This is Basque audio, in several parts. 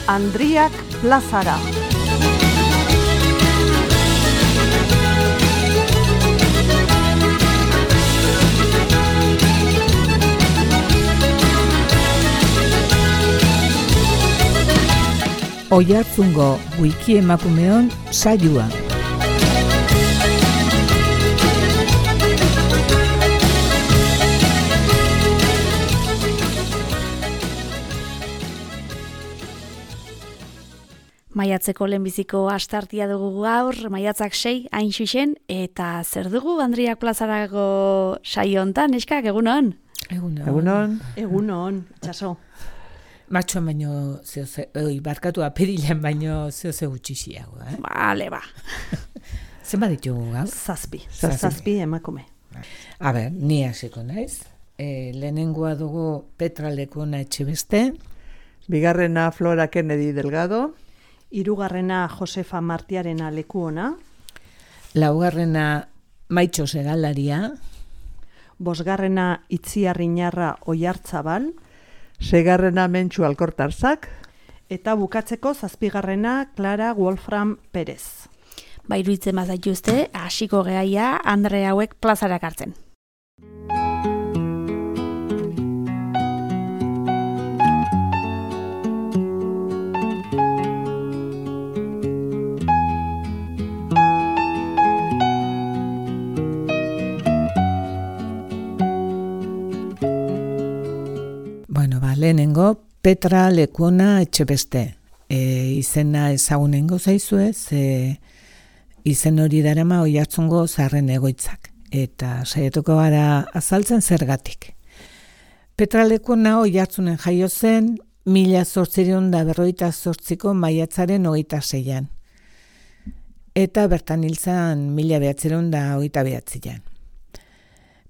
Andriak plazara. Oiartzungo wiki emakumeon saioa. Maiatzeko lehenbiziko astartia dugu gaur, maiatzak 6 hain xuxen, eta zer dugu Andriak plazarako saio hontan, eskak, egunon? Egunon, txaso. Matxoan baino barkatu apirilean baino zeo gutxixiago, Bale, ba. Zenba ditugu gaur? Zazpi emakume. A ber, ni hasiko naiz. Lehenengoa dugu Petra Lekona Etxebeste. Bigarrena Flora Kennedy Delgado. Hirugarrena Josefa Martiarena Lekuona. Laugarrena Maitxo Segalaria. Bosgarrena Itziarriñarra Oiartzabal. Seigarrena Mentxu Alkortarzak. Eta bukatzeko zazpigarrena Clara Wolfram Perez. Iruditzen bazaituzte, hasiko gehaia Andre hauek plazarak hartzen. Lehenengo Petra Lekona Etxebeste. Izena ezagunengo zaizue, izen hori darama Oiartzungo zaharren egoitzak. Eta saiatuko gara azaltzen zergatik. Petra Lekona Oiartzunen jaio zen 1858ko maiatzaren 26an. Eta bertan hil zen 1929an.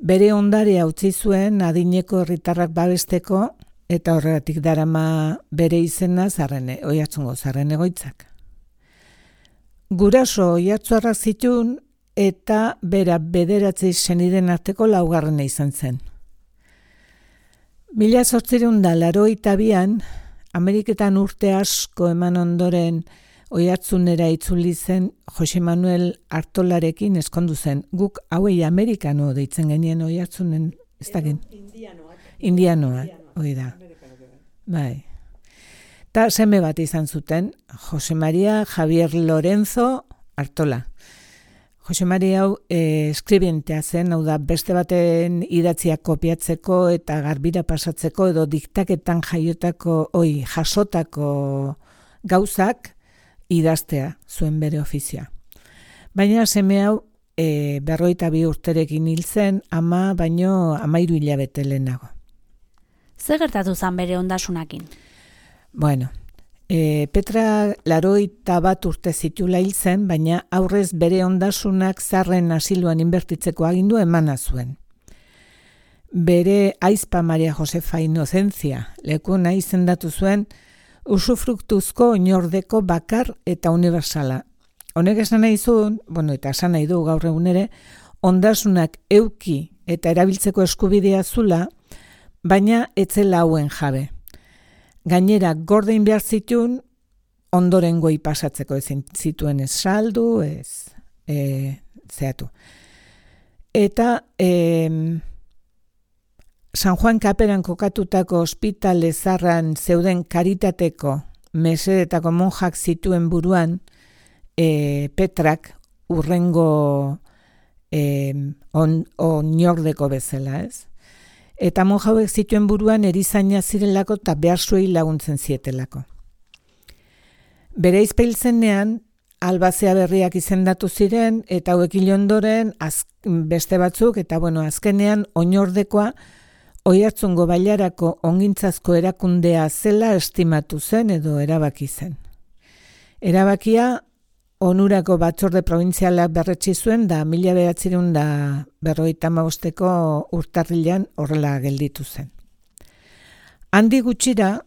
Bere ondarea utzi zuen adineko herritarrak babesteko, eta horregatik darama bere izena Oiartzungo zaharren egoitzak. Guraso oiartzuarrak zituen eta bera 9 senideen arteko laugarrena izan zen. 1882an Ameriketan urte asko eman ondoren Oiartzunera itzuli zen Jose Manuel Artolarekin eskondu zen. Guk hauei amerikano deitzen genien Oiartzunen, ez dakin? Indianoak, hori da. Bai. Ta seme bat izan zuten, Jose Maria Javier Lorenzo Artola. Jose Maria hau eskribentea zen, hau da beste baten idatziak kopiatzeko eta garbira pasatzeko edo diktaketan jasotako gauzak idaztea zuen bere ofizioa. Baina seme hau 52 urterekin hil zen, ama baino 13 hilabete lehenago. Zer gertatu zen bere ondasunakin? Bueno, Petra 81 urte zitula hil zen, baina aurrez bere ondasunak zaharren asiloan inbertitzeko agindu emana zuen. Bere aizpa Maria Josefa Inocentzia Lekona izendatu zuen usufruktuzko oinordeko bakar eta universala. Honek esan nahi zuen, eta esan nahi du gaur egun ere, ondasunak euki eta erabiltzeko eskubidea zula, baina etzela hauen jabe. Gainera, gordein behar zituen, ondorengoi pasatzeko ezin zituen ez saldu, zeatu. Eta San Juan Kaperan kokatutako ospitale zarran zeuden karitateko mesedetako monjak zituen buruan, Petrak urrengo oinordeko bezala, ez? Eta monja hauek zituen buruan erizaina zirelako eta behar zuei laguntzen zietelako. Bere izpeiltzenean, albazea berriak izendatu ziren, eta hauek hil ondoren beste batzuk, eta azkenean oinordekoa Oiartzungo bailarako ongintzazko erakundea zela estimatu zen edo erabaki zen. Erabakia onurako batzorde probintzialak berretsi zuen da 1955ko urtarrilean horrela gelditu zen. Handi gutxira,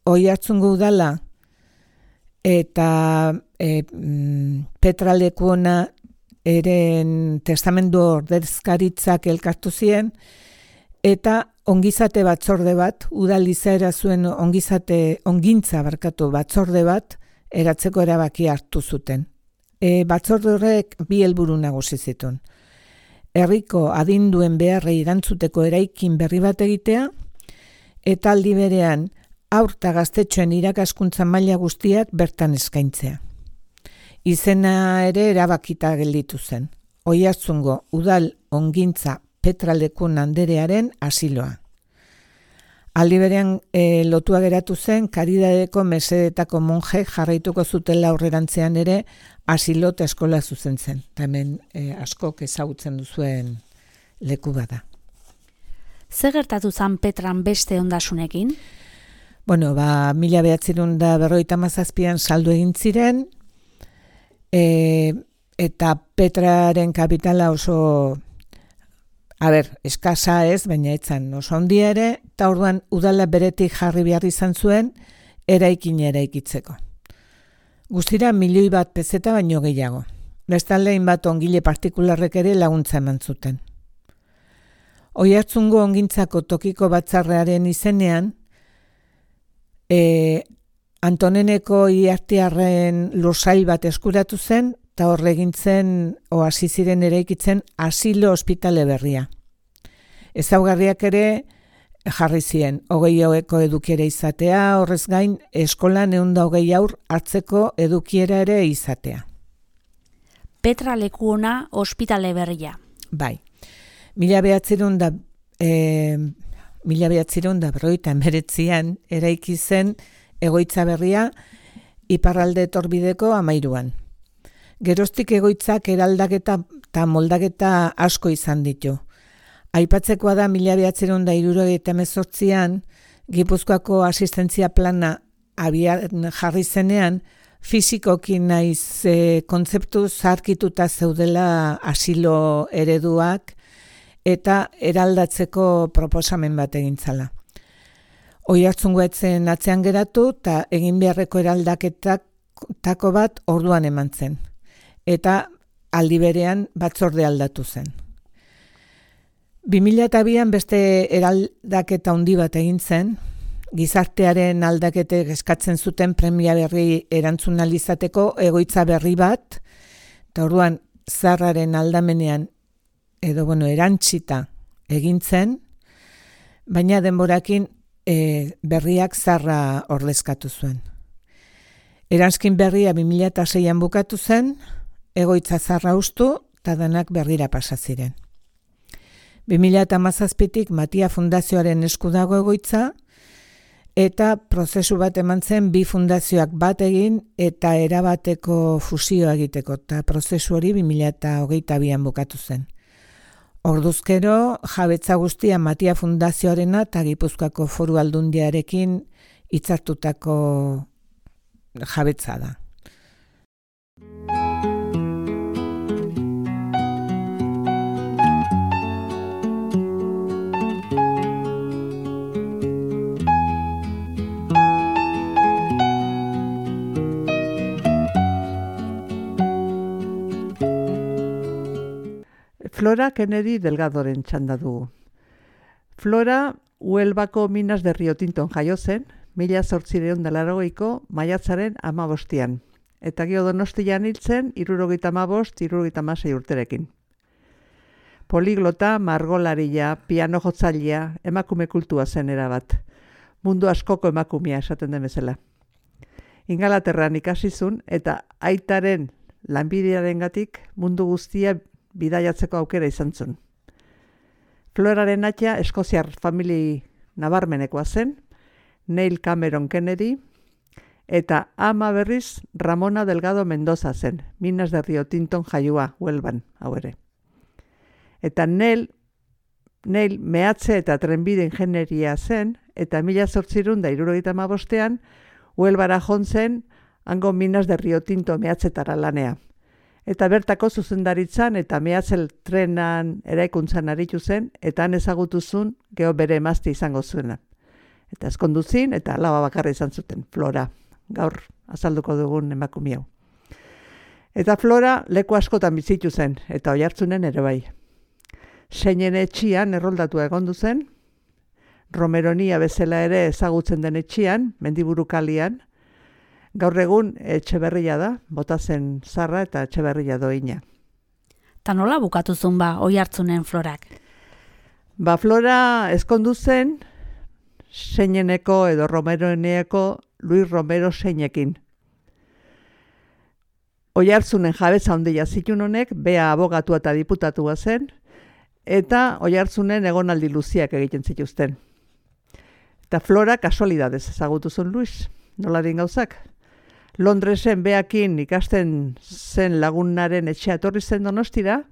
Oiartzungo udala eta Petra Lekuona eren testamendu ordezkaritzak elkartu ziren, eta ongizate batzorde bat, udal izaera zuen ongintza batzorde bat, eratzeko erabaki hartu zuten. Batzorde horrek bi helburu nagusi zituen. Herriko adinduen beharrei erantzuteko eraikin berri bat egitea, eta aldi berean haur eta gaztetxoen irakaskuntza maila guztiak bertan eskaintzea. Izena ere erabakita gelditu zen. Oiartzungo udal ongintza Petra Lekuona anderearen asiloa. Aldi berean lotua geratu zen Karidadeko mesedetako monje jarraituko zutela aurrerantzean ere asilo eta eskola zuzentzen. Hemen askok ezagutzen duzuen leku bada. Zer gertatu zan Petran beste ondasunekin? 1957an saldu egin ziren, eta Petraren kapitala oso, eskasa ez, baina etzan oso handia ere, eta orduan udala beretik jarri behar izan zuen, eraikitzeko. Guztira 1.000.000 peseta baino gehiago. Bestalde hainbat ongile partikularrek ere laguntza eman zuten. Oiartzungo ongintzako tokiko batzarrearen izenean, Antoneneko Iartiarren lursail bat eskuratu zen, eta horre egintzen, hasi ziren eraikitzen, asilo ospitale berria. Ezaugarriak ere jarri ziren, 20 edukiera izatea, horrez gain, eskolan 120 haur hartzeko edukiera ere izatea. Petra Lekuona ospitale berria. Bai. 1959an eraiki zen egoitza berria iparralde etorbideko 13an. Geroztik egoitzak eraldaketa eta moldaketa asko izan ditu. Aipatzekoa da 1978an Gipuzkoako asistentzia plana abian jarri zenean, fisikoki naiz kontzeptu zaharkituta zeudela asilo ereduak eta eraldatzeko proposamen bat egintzala. Oiartzungo etzen atzean geratu eta egin beharreko eraldaketako bat orduan eman zen. Eta aldi berean batzorde aldatu zen. 2002an beste eraldaketa handi bat egin zen, gizartearen aldaketek eskatzen zuten premia berri erantzun ahal izateko egoitza berri bat, eta orduan zaharraren aldamenean erantzita egin zen, baina denborakin berriak zaharra ordezkatu zuen. Eranskin berria 2006an bukatu zen, egoitza zaharra hustu eta denak berrira pasa ziren. 2017tik Matia Fundazioaren esku dago egoitza, eta prozesu bat eman zen bi fundazioak bat egin eta erabateko fusioa egiteko, eta prozesu hori 2022an bukatu zen. Orduzkero, jabetza guztia Matia Fundazioarena eta Gipuzkoako Foru Aldundiarekin hitzartutako jabetza da. Flora Kennedy Delgadoren txanda dugu. Flora, Huelbako Minas de Rio Tinton jaio zen, 1880ko maiatzaren 15an, eta gero Donostian hiltzen 75-76 urterekin. Poliglota, margolaria, piano jotzailea, emakume kultua zen erabat. Mundu askoko emakumea esaten den bezala. Ingalaterran ikasizun eta aitaren lanbidearengatik mundu guztia bidaiatzeko aukera izan zuen. Floraren aita eskoziar famili nabarmenekoa zen, Neil Cameron Kennedy, eta ama berriz Ramona Delgado Mendoza zen, Minas de Rio Tinton jaioa, Huelban, hau ere. Eta Neil mehatze eta trenbide ingenieria zen, eta 1875an Huelbara jontzen hango Minas de Rio Tinto mehatzetara lanea. Eta bertako zuzendaritzan eta mehatzel trenan eraikuntzan aritu zen, eta han ezagutuzun geho bere emazte izango zuena. Eta ezkonduzin, eta alaba bakarra izan zuten, Flora. Gaur azalduko dugun emakume hau. Eta Flora leku askotan bizitu zen, eta Oiartzunen ere bai. Seinen etxian erroldatua egondu zen, Romeronia bezala ere ezagutzen den etxian, Mendiburu kalian, gaur egun Etxeberria da, Botazen zarra eta Etxeberria doina. Ta nola bukatu zuen Oiartzunen Florak? Flora ezkondu zen, Seineneko edo Romeronieko Luis Romero Seinekin. Oiartzunen jabetza handia zituen honek, bea abogatua eta diputatua zen, eta Oiartzunen egonaldi luziak egiten zituzten. Eta Flora kasualidadez ezagutu zuen Luis, nola din gauzak. Londresen beakin ikasten zen lagunaren etxea etorri zen Donostira,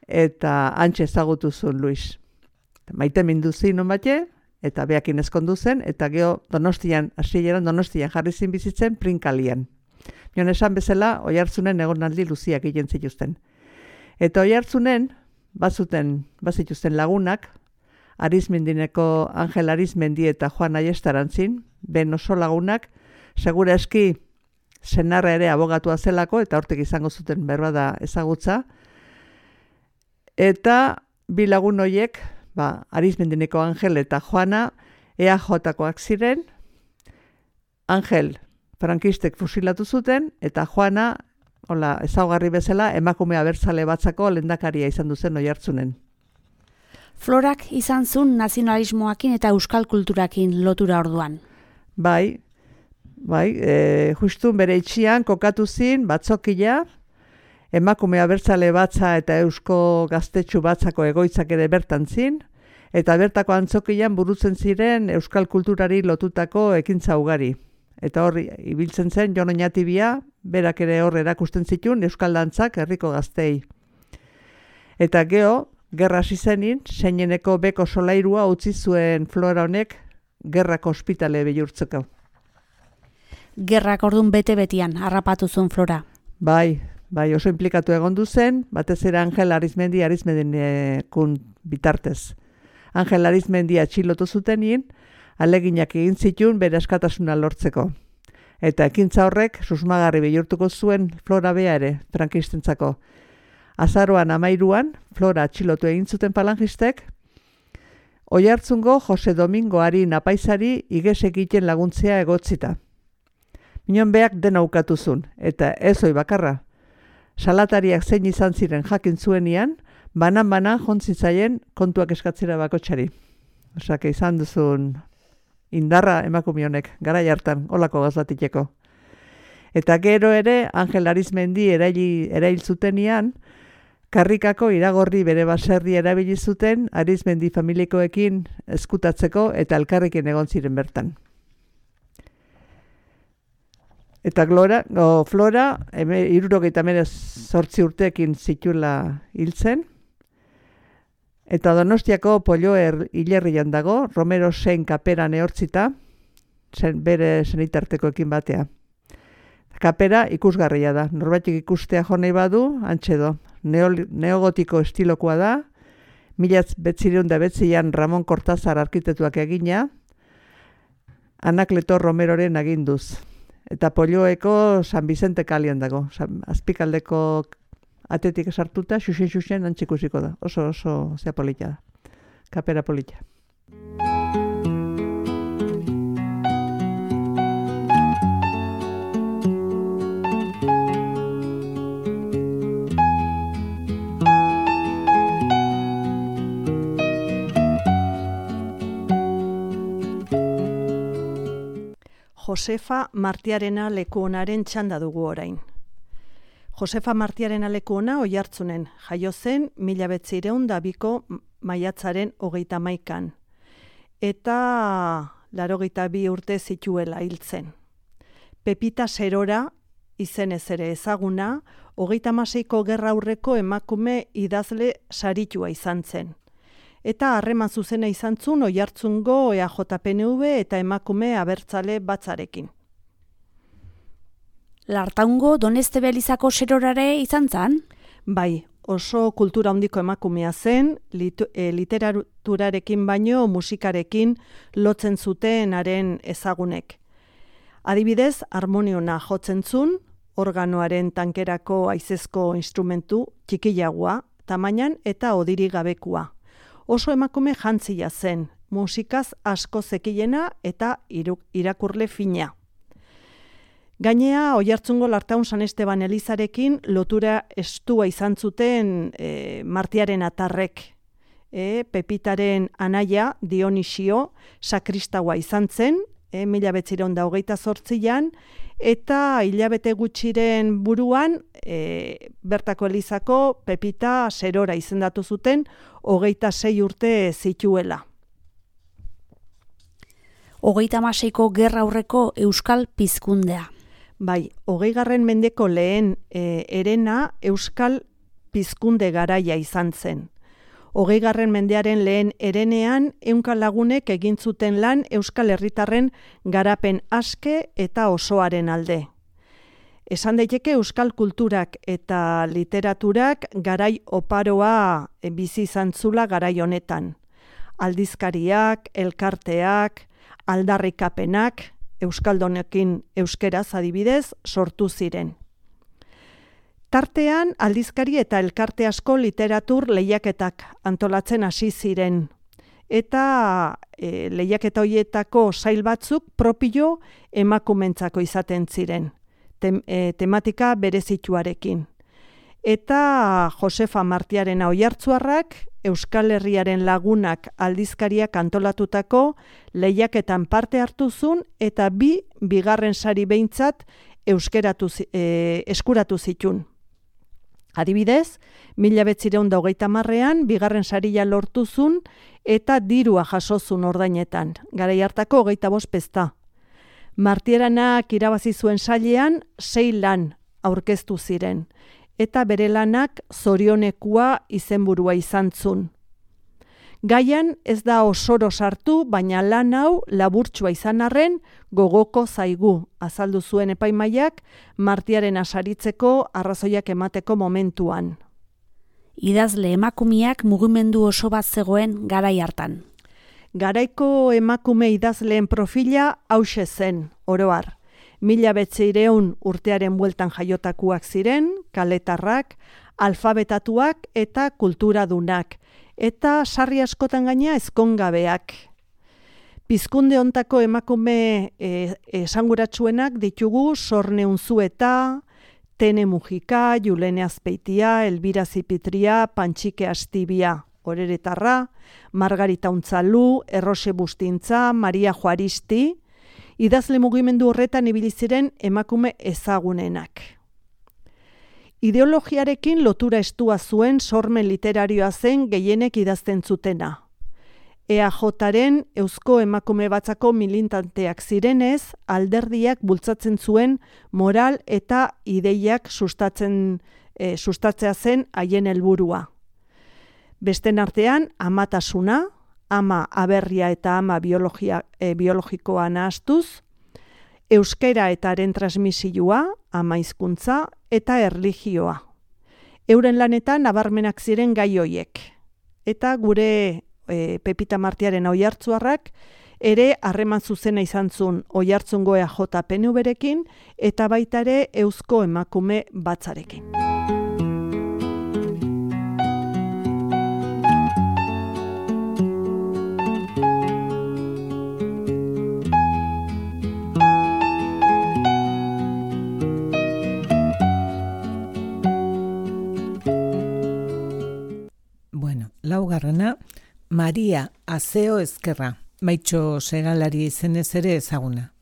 eta hantxe ezagutu zuen Luis. Maite mindu zin bate, eta beakin ezkondu zen, eta geho Donostian, hasieran Donostian jarri zin bizitzen Prinkalian. Nion esan bezala, Oiartzunen egonaldi luziak egiten zituzten. Eta Oiartzunen, bazituzten lagunak, Arizmendineko Angel Arizmendi eta Juan Aiestarantzin, ben oso lagunak, segura eski senarra ere abogatua zelako, eta hortik izango zuten berbada ezagutza. Eta bi lagun horiek, Arizmendineko Angel eta Juana, EAJ-koak ziren, Angel frankistek fusilatu zuten, eta Juana, ezaugarri bezala, emakume abertzale batzako lehendakaria izan duzen Oiartzunen. Florak izan zuen nazionalismoakin eta euskal kulturakin lotura orduan. Bai, justu bere itxian kokatu zin batzokila, emakume abertzale batza eta eusko gaztetxu batzako egoitzak ere bertan zin, eta bertako antzokian burutzen ziren euskal kulturari lotutako ekintza ugari. Eta horri ibiltzen zen Jon Oñatibia, berak ere hor erakusten zituen euskal dantzak herriko gaztei. Eta geho, gerra hasi zenin, Seineneko beko solairua utzi zuen Flora honek gerrako ospitale bihurtzeko. Gerrak ordun bete-betian harrapatu zuen Flora. Bai, oso implikatu egondu zen, batez ere Angel Arizmendinekun bitartez. Angel Arizmendi atxilotu zutenin, aleginak egin zituen bere askatasuna lortzeko. Eta ekintza horrek susmagarri bihurtuko zuen Flora bea ere, frankistentzako. Azaroan 13an, Flora atxilotu egin zuten falangistek, Oiartzungo Jose Domingo Arin apaizari iges egiten laguntzea egotzita. Minon beak dena ukatu zuen, eta ez hoi bakarra. Salatariak zein izan ziren jakin zuenian, banan-banan jontzin zaien kontuak eskatzera bakotxari. Osak, izan duzun indarra emakume honek, garai hartan, olako gazlatikeko. Eta gero ere, Angel Arizmendi erail zutenian, karrikako iragorri bere baserri erabili zuten Arizmendi familikoekin eskutatzeko eta elkarrekin egon ziren bertan. Eta Flora, 68 urteekin zitula hiltzen, eta Donostiako Polloer hilerrian dago, Romero Sein kaperan ehortzita, bere senitartekoekin batea. Kapera ikusgarria da, norbaitik ikustea jonei badu, antxedo. Neogotiko estilokoa da, 1909an Ramon Cortázar arkitetuak egina, Anakleto Romeroren aginduz. Eta Polloeko San Vicente kalian dago, azpikaldeko atetik esartuta, xuxen antxikusiko da. Oso zea polita da, kapera polita. Josefa Martiarena lekuonaren txanda dugu orain. Josefa Martiarena lekuona Oiartzunen, jaio zen 1902ko maiatzaren 31an. Eta 82 urte zituela hiltzen. Pepita Serora, izenez ere ezaguna, 36ko gerra aurreko emakume idazle saritua izan zen. Eta harreman zuzena izan zuen Oiartzungo EAJ-PNV eta emakume abertzale batzarekin. Lartaungo Doneztebe Elizako serorare izan zan? Bai, oso kultura handiko emakumea zen, literaturarekin baino musikarekin lotzen zuten haren ezagunek. Adibidez, harmoniona jotzen zuen, organoaren tankerako haizezko instrumentu txikiagoa, tamainan eta odiri gabekua. Oso emakume jantzia zen, musikaz asko zekiena eta irakurle fina. Gainea, Oiartzungo Lartaun San Esteban Elizarekin lotura estua izan zuten Martiaren atarrek. Pepitaren anaia, Dionisio, sakristaua izan zen, 1928an, eta hilabete gutxiren buruan, bertako elizako Pepita Serora izendatu zuten, 26 urte zituela. 36ko gerra aurreko euskal pizkundea. Bai, 20. mendeko lehen herena euskal pizkunde garaia izan zen. 20. mendearen lehen herenean, 100 lagunek egin zuten lan euskal herritarren garapen aske eta osoaren alde. Esan daiteke euskal kulturak eta literaturak garai oparoa bizi izan zula garai honetan. Aldizkariak, elkarteak, aldarrikapenak, euskaldonekin euskeraz adibidez sortu ziren. Tartean, aldizkari eta elkarte asko literatur lehiaketak antolatzen hasi ziren. Eta lehiaketa horietako sail batzuk propio emakumentzako izaten ziren, tematika berezituarekin. Eta Josefa Martiarena Oiartzuarrak, Euskal Herriaren lagunak aldizkariak antolatutako lehiaketan parte hartu zuen eta bigarren sari behintzat eskuratu zitun. Adibidez, 1930ean bigarren saria lortu zuen eta dirua jaso zuen ordainetan, garai hartako 25 pezta. Martiaranak irabazi zuen sailean 6 lan aurkeztu ziren, eta bere lanak zorionekua izenburua izan zuen. Gaian ez da osoro sartu, baina lan hau laburtsua izan arren gogoko zaigu, azaldu zuen epaimaiak Martiaren asaritzeko arrazoiak emateko momentuan. Idazle emakumeak mugimendu oso bat zegoen garai hartan. Garaiko emakume idazleen profila hauxe zen, oroar. 1900 urtearen bueltan jaiotakuak ziren, kaletarrak, alfabetatuak eta kulturadunak, eta sarri askotan gaina ezkongabeak. Pizkunde hontako emakume esanguratsuenak ditugu Sorne Unzueta, Tene Mujika, Julene Azpeitia, Elbira Zipitria, Pantxike Astibia, Oreretarra, Margarita Untzalu, Errose Bustintza, Maria Juaristi, idazle mugimendu horretan ibili ziren emakume ezagunenak. Ideologiarekin lotura estua zuen sormen literarioa zen gehienek idazten zutena. EAJaren Eusko Emakume Batzako militanteak zirenez, alderdiak bultzatzen zuen moral eta ideiak sustatzea zen haien helburua. Besten artean, amatasuna, ama aberria eta ama biologikoa nahastuz, euskera eta haren transmisioa, ama hizkuntza eta erlijioa. Euren lanetan nabarmenak ziren gai hoiek. Eta gure Pepita Martiarena Oiartzuarrak ere harreman zuzena izan zuen Oiartzungo EAJ PNV-rekin eta baita ere Eusko Emakume Batzarekin. Laugarrena, Maria Azeo Ezkerra, Maitxo Segalari izenez ere ezaguna.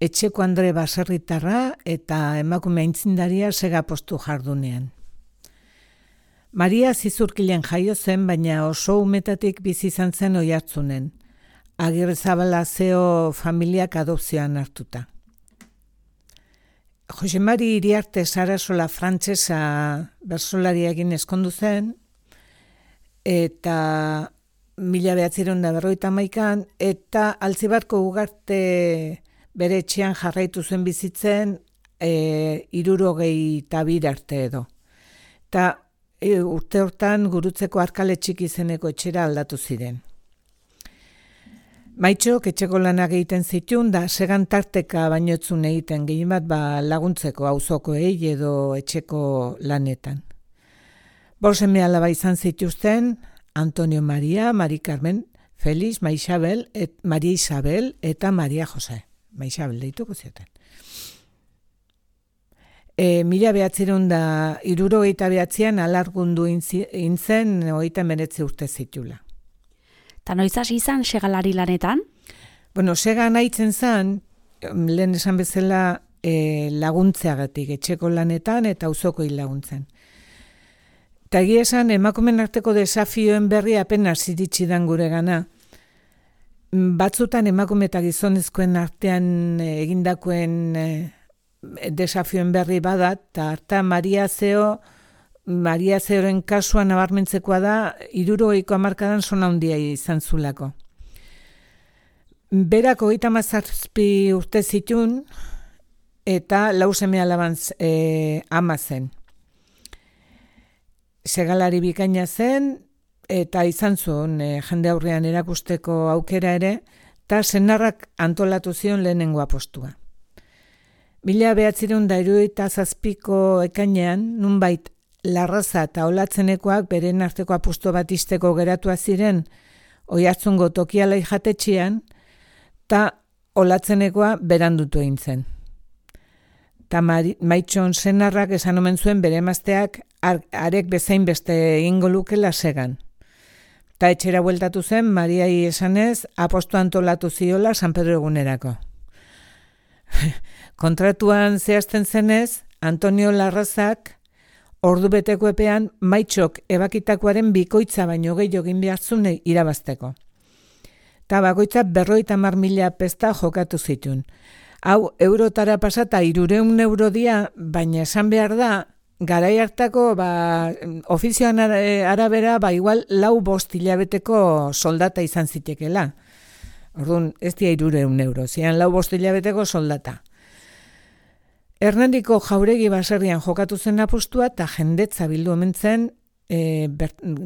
Etxeko Andre baserritarra eta emakume aintzindaria segapostu jardunean. Maria Zizurkilen jaio zen, baina oso umetatik bizi izan zen Oiartzunen. Agirrezabala Azeo familiak adopzioan hartuta. Jose Mari Iriarte Sarasola frantsesa bertsolariarekin ezkondu zen, eta 1951an, eta Altzibarko Ugarte bere etxean jarraitu zuen bizitzen 62 arte edo. Eta urte hortan Gurutzeko Arkale Txiki izeneko etxera aldatu ziren. Maitxok etxeko lanak egiten zituen, da segan tarteka bainotzun egiten gehien bat laguntzeko auzokoei edo etxeko lanetan. 5 seme alaba izan zituzten, Antonio Maria, Mari Carmen, Felix, Maria Isabel eta Maria Jose. Maisabel deituko zioten. 1969an alargundu intzen 39 urte zitula. Ta noiz hasi izan segalari lanetan? Bueno, sega nahitzen zen, lehen esan bezala laguntzeagatik, etxeko lanetan eta auzokoi laguntzen. Eta egia esan, emakumen arteko desafioen berri apenas iritsi dan gure gana. Batzutan emakume eta gizonezkoen artean egindakoen desafioen berri badat, eta harta Maria Zeoren kasuan nabarmentzekoa da, 70ko hamarkadan zona handia izan zulako. Berak 37 urte zitun, eta 4 seme alaban ama zen. Segalari bikaina zen, eta izan zuen jende aurrean erakusteko aukera ere, eta senarrak antolatu zion lehenengo apostua. 1977ko ekainean, nunbait Larraza eta Olatzenekoak beren arteko apustu bat izteko geratua ziren Oiartzungo Tokialai jatetxean, eta Olatzenekoa berandutu egin zen. Eta Maitxon senarrak esan omen zuen bere emazteak arek bezain beste egingo lukela segan. Eta etxera bueltatu zen, Mariai esanez, apostu antolatu ziola San Pedro egunerako. Kontratuan zehazten zenez, Antonio Larrazak ordubeteko epean Maitxok ebakitakoaren bikoitza baino gehiago egin behartzune irabazteko. Eta bakoitza 50.000 pesta jokatu zituen. Hau, eurotara pasata 300 euro dia, baina esan behar da, garai hartako ofizioan arabera igual 4-5 hilabeteko soldata izan zitekela. Orduan, ez dia 300 euro, zian 4-5 hilabeteko soldata. Hernandiko Jauregi baserrian jokatu zen apustua eta jendetza bildu omen zen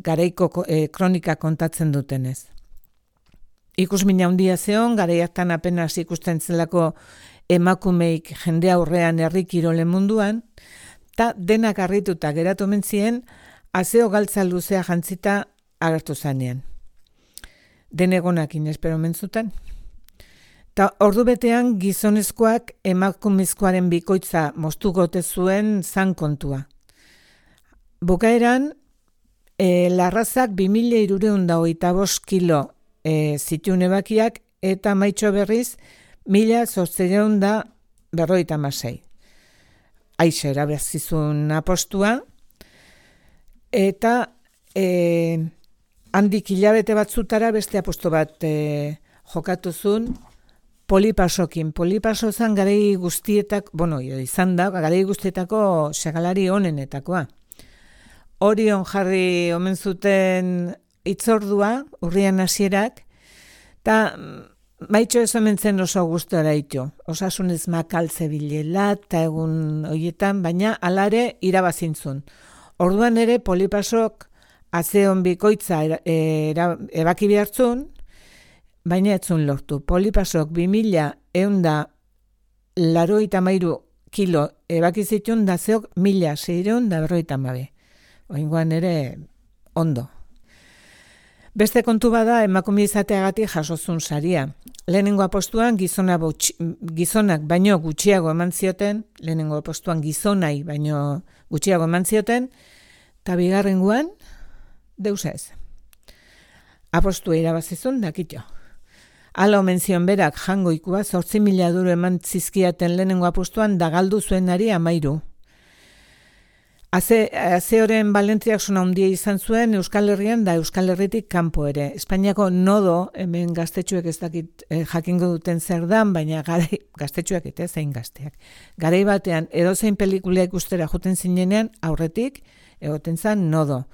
garaiko kronika kontatzen dutenez. Ikusmina handia zeon, garai hartan apenas ikusten zelako emakumeik jende aurrean herri kirolen munduan, eta denak harrituta geratu omen zien, azeo galtza luzea jantzita agertu zanean. Denegonakin espero omen zuten. Ta ordubetean gizonezkoak emakumezkoaren bikoitza moztugote zuen zan kontua. Bukaeran, Larrazak 2.325 kilo zituen ebakiak eta Maitxo berriz 1.856. Aixe erabazizun apostua eta handik hilabete batzutara beste aposto bat jokatu zuen Polipasokin. Polipaso zan garai guztietak, izan da, garai guztietako segalari onenetakoa. Orion jarri omen zuten itzordua, urrian hasierak, eta Maitxo ez omen zen oso gustora ito. Osasunez makaltze bilela eta egun horietan, baina alare irabazintzun. Orduan ere Polipasok azeon bikoitza ebaki behartzun, baina etzun lortu. Polipasok 2.183 kilo ebaki zituen da zeok 1.652. Oingoan ere ondo. Beste kontu bada emakume izateagatik jasozun saria. Lehenengo apostuan gizonak baino gutxiago eman zioten, lehenengo apostuan gizonai baino gutxiago eman zioten, eta bigarrengoan deus ez. Apostua irabazizun dakitxo. Hala omen zion berak jangoikua 8.000 euro eman zizkiaten lehenengo apostuan da galdu zuenari 13. Azeoren balentziak zona handia izan zuen Euskal Herrian da Euskal Herritik kanpo ere. Espainiako nodo, hemen gaztetxuek ez dakit jakingo duten zer dan, baina gaztetxuak eta zein gazteak. Garai batean edozein pelikula ikustera joten zinenean aurretik egoten zan nodo.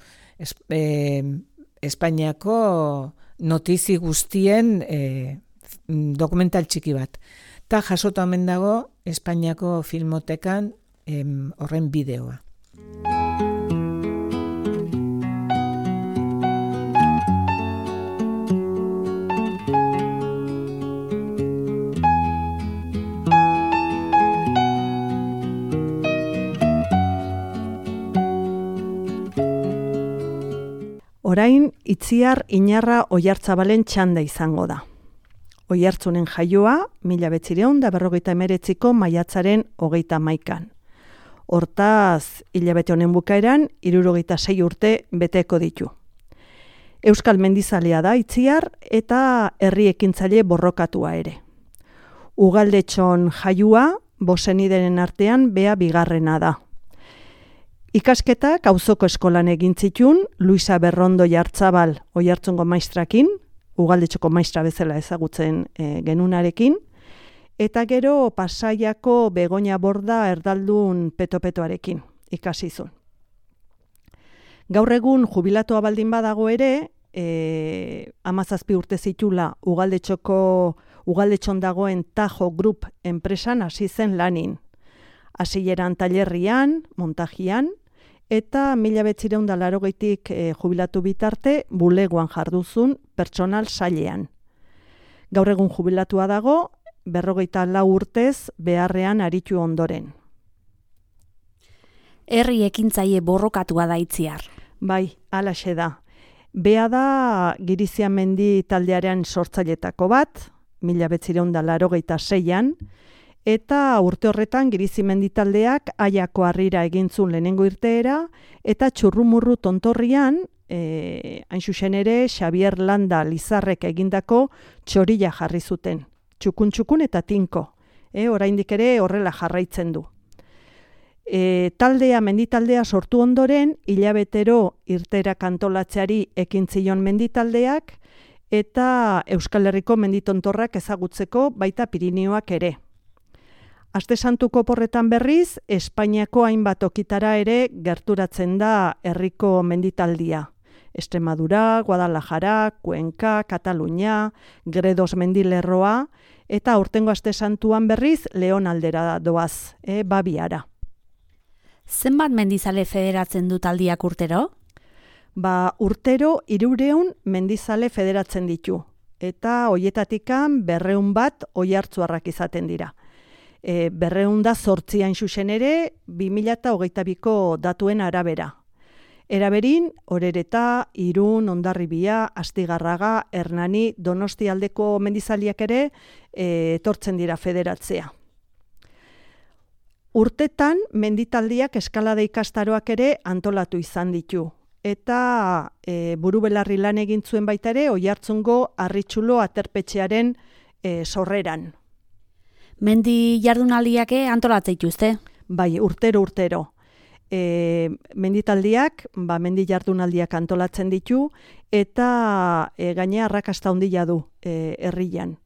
Espainiako notizi guztien dokumental txiki bat. Ta jasota omen dago Espainiako filmotekan horren bideoa. Orain, Itziar Inarra Oiartzabalen txanda izango da. Oiartzunen jaioa, 1959ko maiatzaren 31. Hortaz, hilabete honen bukaeran, 66 urte beteko ditu. Euskal mendizalea da Itziar eta herri ekintzaile borrokatua ere. Ugaldetxon jaioa, bosenideren artean bea bigarrena da. Ikasketak auzoko eskolan egin zituen, Luisa Berrondo Jartzabal Oiartzungo maistrakin, Ugaldetxoko maistra bezala ezagutzen genunarekin, eta gero Pasaiako Begoña Borda erdaldun petopetoarekin ikasi zuen. Gaur egun jubilatua baldin badago ere, 17 urte zitula Ugaldetxon dagoen Tajo Group enpresan hasi zen lanin. Hasieran tailerrian, montajian, eta 1980tik jubilatu bitarte bulegoan jarduzun pertsonal sailean. Gaur egun jubilatua dago, 54 urtez beharrean aritu ondoren. Herri ekintzaile borrokatua da Itziar. Bai, halaxe da. Bea da Giriziamendi taldearen sortzailetako bat, 1986an, eta urte horretan Girizimendi taldeak Aiako Harrira egintzun lehenengo irteera, eta Txurrumurru tontorrian, hain zuzen ere, Xabier Landa Lizarrek egindako txorila jarri zuten. Txukun eta tinko. Oraindik ere horrela jarraitzen du. Menditaldea sortu ondoren, hilabetero irteerak antolatzeari ekin zion menditaldeak, eta Euskal Herriko menditontorrak ezagutzeko baita Pirinioak ere. Aste Santuko porretan berriz, Espainiako hainbat okitara ere gerturatzen da herriko menditaldia. Extremadura, Guadalajara, Cuenca, Katalunia, Gredos mendilerroa, eta aurtengo Aste Santuan berriz Leon aldera doaz, Babiara. Zenbat mendizale federatzen du taldiak urtero? Urtero 300 mendizale federatzen ditu, eta hoietatikan 200 bat oiartzuarrak izaten dira. 200 da 8 hain zuzen ere 2022ko datuen arabera. Eraberin, Orereta, Irun, Hondarribia, Astigarraga, Hernani, Donostialdeko mendizaliak ere etortzen dira federatzea. Urtetan, menditaldiak eskalada ikastaroak ere antolatu izan ditu. Eta burubelarri lan egin zuen baita ere, Oiartzungo Arritxulo aterpetxearen sorreran. Mendi jardunaldiak antolatzen dituzte? Bai, urtero. Menditaldiak, mendi jardunaldiak antolatzen ditu, eta gainea arrakasta handia du herrian.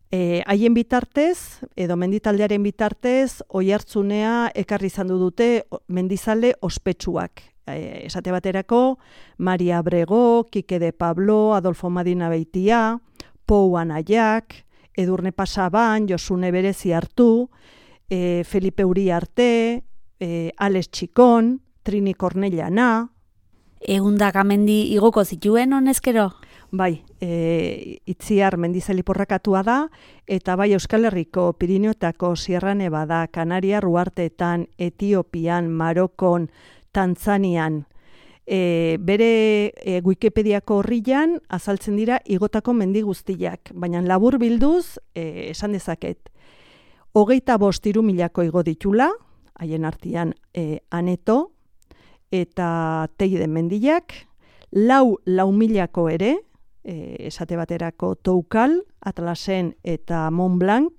Haien bitartez, edo menditaldearen bitartez, Oiartzunea ekarri izan dute mendizale ospetsuak. Esate baterako, Maria Abrego, Kike de Pablo, Adolfo Madina Beitia, Pou Anaiak, Edurne Pasaban, Josune Berezi hartu, Felipe Uriarte, Alex Txikon, Trini Kornellana. Egundaka mendi igoko zituen honezkero? Bai, Itziar mendizali porrakatua da, eta bai Euskal Herriko Pirinioetako Sierra Nevada, Kanaria Ruarteetan, Etiopian, Marokon, Tanzanian, bere Wikipediako horrian azaltzen dira igotako mendi guztiak, baina labur bilduz esan dezaket. 25.000 igo ditula, haien artean Aneto eta Teide mendiak, 4.000 ere, esate baterako Toukal, Atlasen eta Mont Blanc,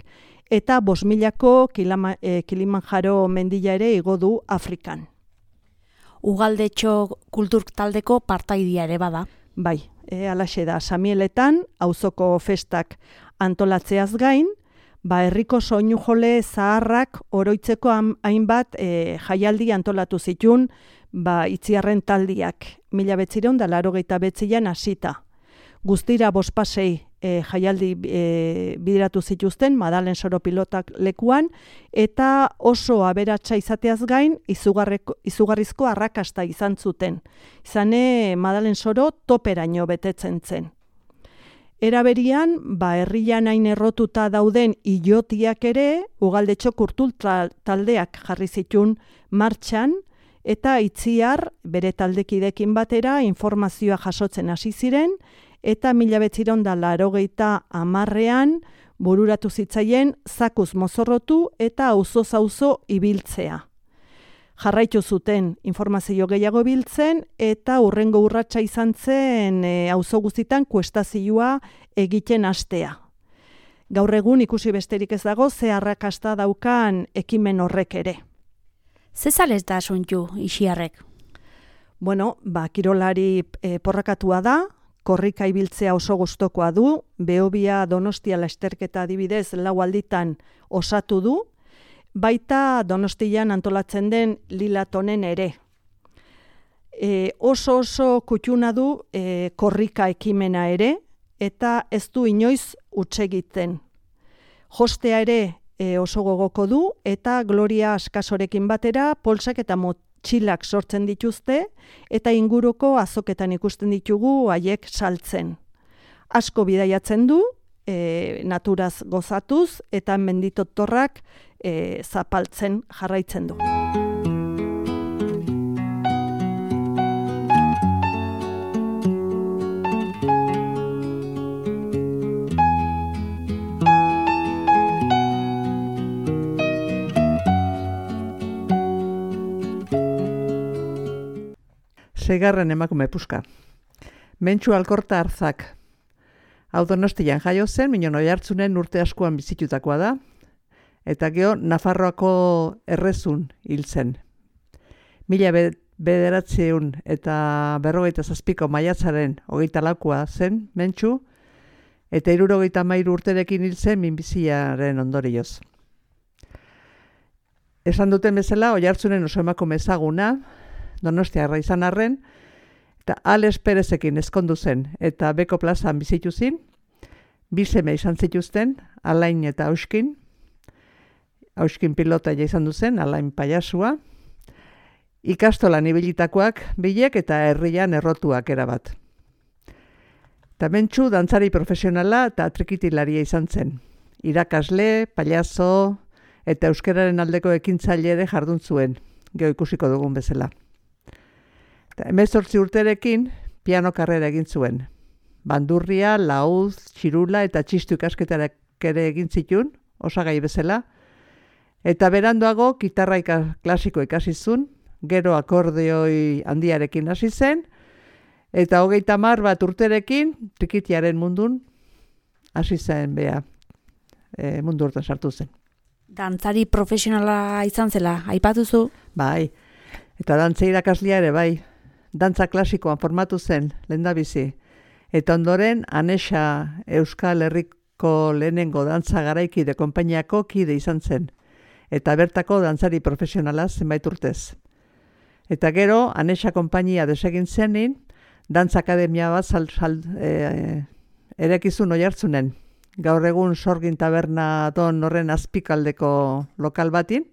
eta 5.000 Kilimanjaro mendila ere igo du Afrikan. Ugaldetxo kultur taldeko partaidia ere bada. Bai, halaxe da, Samieletan, auzoko festak antolatzeaz gain, herriko soinu jole zaharrak oroitzeko hainbat jaialdi antolatu zituen Itziarren taldiak, 1989an hasita. Guztira 5 pasei jaialdi bideratu zituzten Madalen Soro pilotak lekuan, eta oso aberatsa izateaz gain izugarrizko arrakasta izan zuten. Izane Madalen Soro toperaino betetzen zen. Eraberian, herrian hain errotuta dauden ilotiak ere, Ugaldetxo kultur taldeak jarri zituen martxan, eta Itziar bere taldekidekin batera informazioa jasotzen hasi ziren, eta 1980ean bururatu zitzaien zakuz mozorrotu eta auzoz auzo ibiltzea. Jarraitu zuten informazio gehiago biltzen eta hurrengo urratsa izan zen auzo guztitan kuestazioa egiten hastea. Gaur egun ikusi besterik ez dago ze arrakasta daukan ekimen horrek ere. Ze zalez da suntu Ixiarrek? Bueno, kirolari porrakatua da, korrika ibiltzea oso gustokoa du, Behobia Donostia lasterketa adibidez 4 alditan osatu du, baita Donostian antolatzen den Lilatonen ere. Oso kutxuna du korrika ekimena ere, eta ez du inoiz huts egiten. Jostea ere oso gogoko du, eta Gloria Askasorekin batera poltsak eta motxilak sortzen dituzte, eta inguruko azoketan ikusten ditugu haiek saltzen. Asko bidaiatzen du, naturaz gozatuz, eta menditotorrak zapaltzen jarraitzen du. Seigarren emakume puska. Mentxu Alkorta Arzak. Hau Donostian jaio zen, Minon Oiartzunen urte askoan bizitutakoa da, eta gero Nafarroako errezun hil zen. 1957 maiatzaren 24 zen Mentxu, eta 73 urterekin hil zen minbiziaren ondorioz. Esan duten bezala, Oiartzunen oso emakume ezaguna, Donostiarra izan arren, eta Alex Perezekin ezkondu zen, eta Beko plazan bizitu zin, 2 seme izan zituzten, Alain eta Auskin. Auskin pilota izan duzen, Alain paiasua. Ikastolan ibilitakoak bilek eta herrian errotuak erabat. Eta Mentxu dantzari profesionala eta trikitilaria izan zen. Irakasle, paiazo eta euskararen aldeko ekintzaile ere jardun zuen, gero ikusiko dugun bezala. 18 urterekin piano karrera egin zuen. Bandurria, lauz, txirula eta txistu ikasketak ere egin zituen, osagai bezala. Eta beranduago gitarra klasiko ikasi zuen, gero akordeoi handiarekin hasi zen, eta 30 urterekin trikitiaren mundun hasi zen mundu hortan sartu zen. Dantzari profesionala izan zela, aipatuzu? Bai, eta dantza irakaslia ere bai. Dantza klasikoan formatu zen, lehendabizi. Eta ondoren, Anexa Euskal Herriko lehenengo dantza garaikide konpainiako kide izan zen. Eta bertako dantzari profesionala zenbait urtez. Eta gero, Anexa konpainia desegin zenin, dantza akademia bat erekizun Oiartzunen. Gaur egun Sorgin Taberna don horren azpikaldeko lokal batin.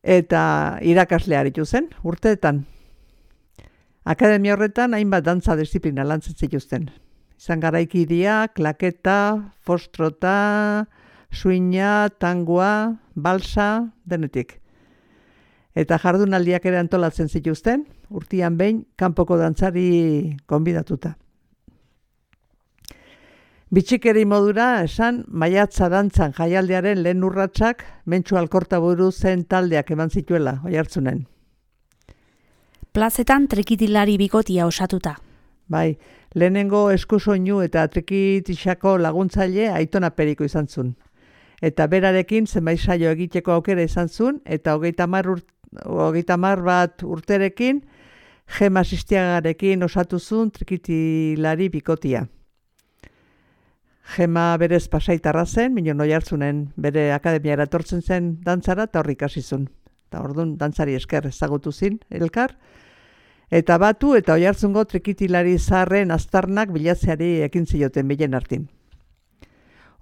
Eta irakasle aritu zen, urteetan. Akademia horretan hainbat dantza disiplina lantzen zituzten. Izan garaikidia, klaketa, fostrota, suina, tangoa, balsa, denetik. Eta jardunaldiak ere antolatzen zituzten, urtean behin kanpoko dantzari gonbidatuta. Bitxikeri modura esan maiatza dantzan jaialdiaren lehen urratsak Mentxu Alkorta buru zen taldeak eman zituela Oiartzunen. Plazetan trikitilari bikotia osatuta. Bai, lehenengo eskusoinu eta trikitixako laguntzaile Aitona Periko izan zuen. Eta berarekin zenbait saio egiteko aukera izan zuen, eta 30 urterekin Gema Sistiagarekin osatu zuen trikitilari bikotia. Gema berez Pasaitarra zen, Minon Oiartzunen bere akademiara etortzen zen dantzara, eta horrik hasi zuen. Eta orduan dantzari esker ezagutu zin elkar. Eta batu eta Oiartzungo trikitilari zaharren aztarnak bilatzeari ekin zioten bilen artin.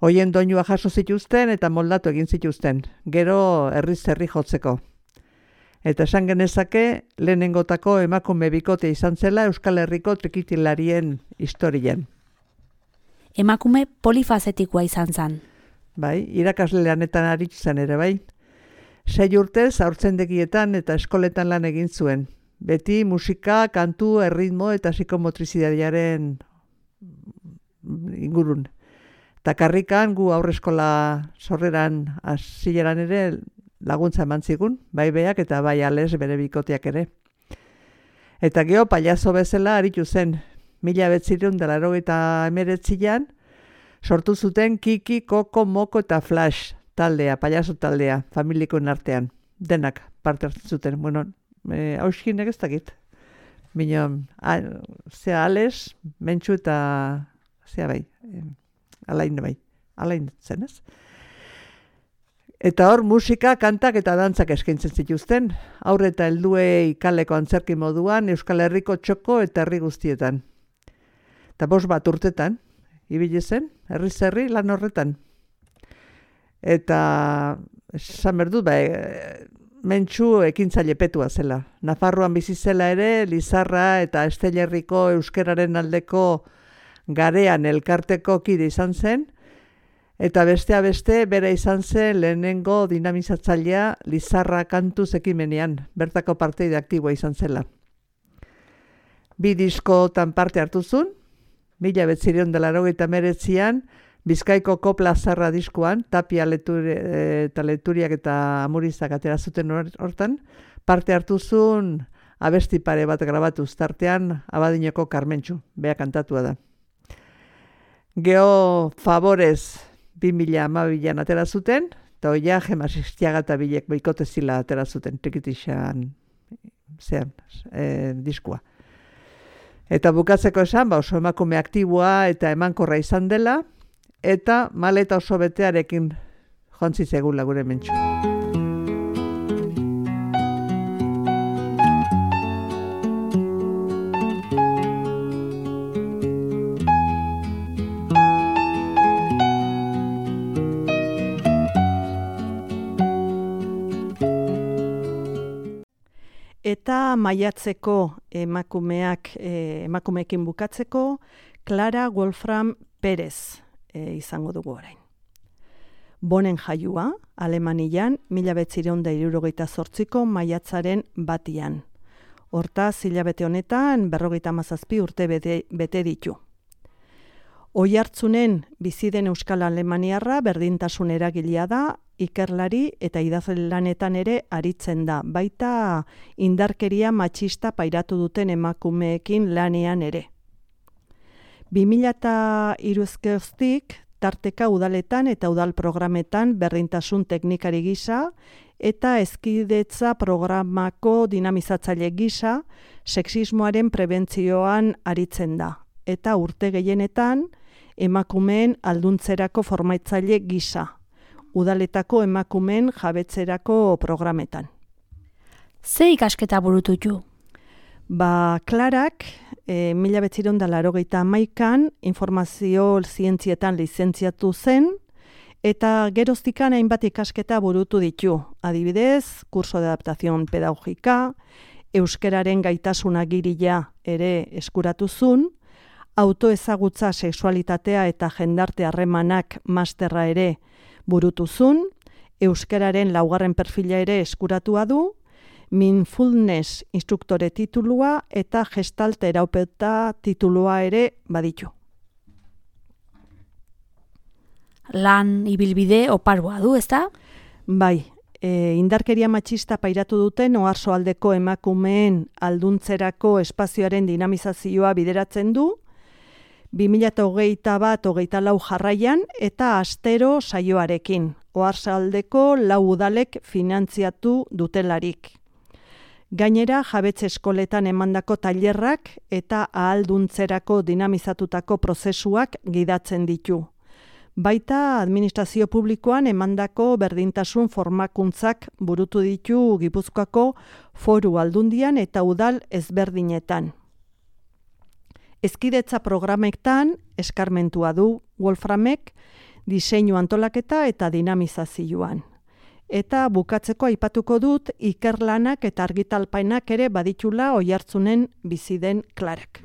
Hoien doinua jaso zituzten eta moldatu egin zituzten, gero herriz-herri jotzeko. Eta esan genezake lehenengotako emakume bikote izan zela Euskal Herriko trikitilarien historien. Emakume polifazetikoa izan zen. Bai, irakasle lanetan aritu zen ere bai. 6 urtez haurtzendegietan eta eskoletan lan egin zuen. Beti musika, kantu, erritmo eta psikomotrizitatearen ingurun. Eta karrikan gu aurreskola sorreran hasieran ere laguntza eman zigun, bai beak eta bai ales bere bikoteak ere. Eta geho pailazo bezala aritu zen, 1989an sortu zuten Kiki, Koko, Moko eta Flash taldea, pailazo taldea, familikoen artean. Denak parte hartzen zuten. Bueno, hauskinek ez dakit. Bino, zea ales, mentxu eta zea bai, alain zen ez. Eta hor musika, kantak eta dantzak eskaintzen zituzten, aurre eta helduei kaleko antzerki moduan, Euskal Herriko txoko eta herri guztietan. Eta 5 urtetan, ibili zen, herriz herri lan horretan. Eta esan behar dut, mentxu ekintzaile petua zela. Nafarroan bizi zela ere, Lizarra eta Estelerriko euskeraren aldeko garean elkarteko kide izan zen, eta bestea beste bere izan zen lehenengo dinamizatzailea Lizarra kantuz ekimenean, bertako parteide aktiboa izan zela. 2 diskotan parte hartu zuen, 1989an Bizkaiko Kopla Zarra diskuan, Tapia eta Leturiak eta Amurizak atera zuten hortan, parte hartu zuen abesti pare bat grabatuz, tartean Abadinoko Karmentxu, bea kantatua da. Geho Favorez 2012an atera zuten, eta oia Gema Sistiaga eta Bilek boikotezila atera zuten, trikitixan diskua. Eta bukatzeko esan, oso emakume aktiboa eta emankorra izan dela, eta maleta oso betearekin jontzi zegula gure mentxu. Eta maiatzeko emakumeekin bukatzeko, Clara Wolfram Perez izango dugu orain. Bonen jaiua, Alemanian, 1968ko maiatzaren 1. Hortaz, hilabete honetan, 57 urte bete ditu. Oihartzunen bizi den Euskal Alemaniarra berdintasun eragilea da, ikerlari eta idazle lanetan ere aritzen da, baita indarkeria matxista pairatu duten emakumeekin lanean ere. 2003 tarteka udaletan eta udal programetan berdintasun teknikari gisa eta hezkidetza programako dinamizatzaile gisa sexismoaren prebentzioan aritzen da, eta urte gehienetan emakumeen alduntzerako formaitzaile gisa, udaletako emakumeen jabetzerako programetan. Ze ikasketa burututu? Klarak, 1981an informazio zientzietan lizentziatu zen, eta geroztikan hainbat ikasketa burutu ditu. Adibidez, kurso de adaptación pedagogika, euskeraren gaitasuna girila ere eskuratu zuen, autoezagutza sexualitatea eta jendarte harremanak masterra ere burutu zuen, euskararen 2. perfila ere eskuratua du, mindfulness instruktore titulua eta gestalt terapeuta titulua ere baditu. Lan ibilbide oparua du, ezta? Bai, indarkeria matxista pairatu duten oarsoaldeko emakumeen alduntzerako espazioaren dinamizazioa bideratzen du, 2021-2024 jarraian eta astero saioarekin, oarsoaldeko 4 udalek finantziatu dutelarik. Gainera, jabetze eskoletan emandako tailerrak eta ahalduntzerako dinamizatutako prozesuak gidatzen ditu. Baita administrazio publikoan emandako berdintasun formakuntzak burutu ditu Gipuzkoako Foru Aldundian eta udal ezberdinetan. Hezkidetza programetan eskarmentua du Wolframek diseinu antolaketa eta dinamizazioan. Eta bukatzeko aipatuko dut ikerlanak eta argitalpainak ere baditula Oihartzunen bizi den Klarak.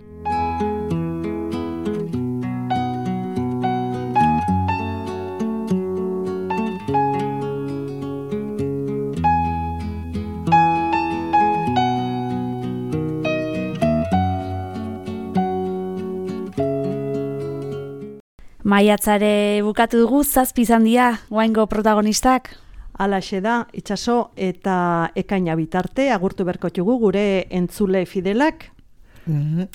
Maiatzare bukatu dugu, 7 izan dira guaingo protagonistak. Halaxe da, itxaso eta ekaina bitarte, agurtu berkotxugu gure entzule fidelak.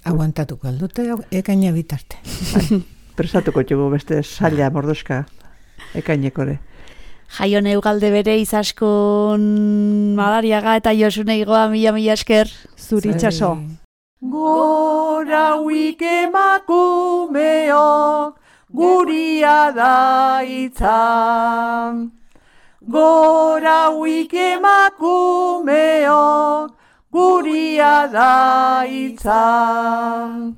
Aguantatuko aldute, ekaina bitarte. Prestatuko txugu beste saila mordoska ekainekore. Jaion Eugalde bere izaskun Madariaga eta Josune Igoa mila esker. Zuri itxaso. Gora huik emakumeok, guria da itzan. Gora huik emakumeok, guria da itzan.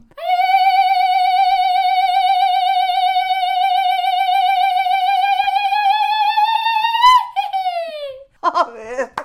A ver.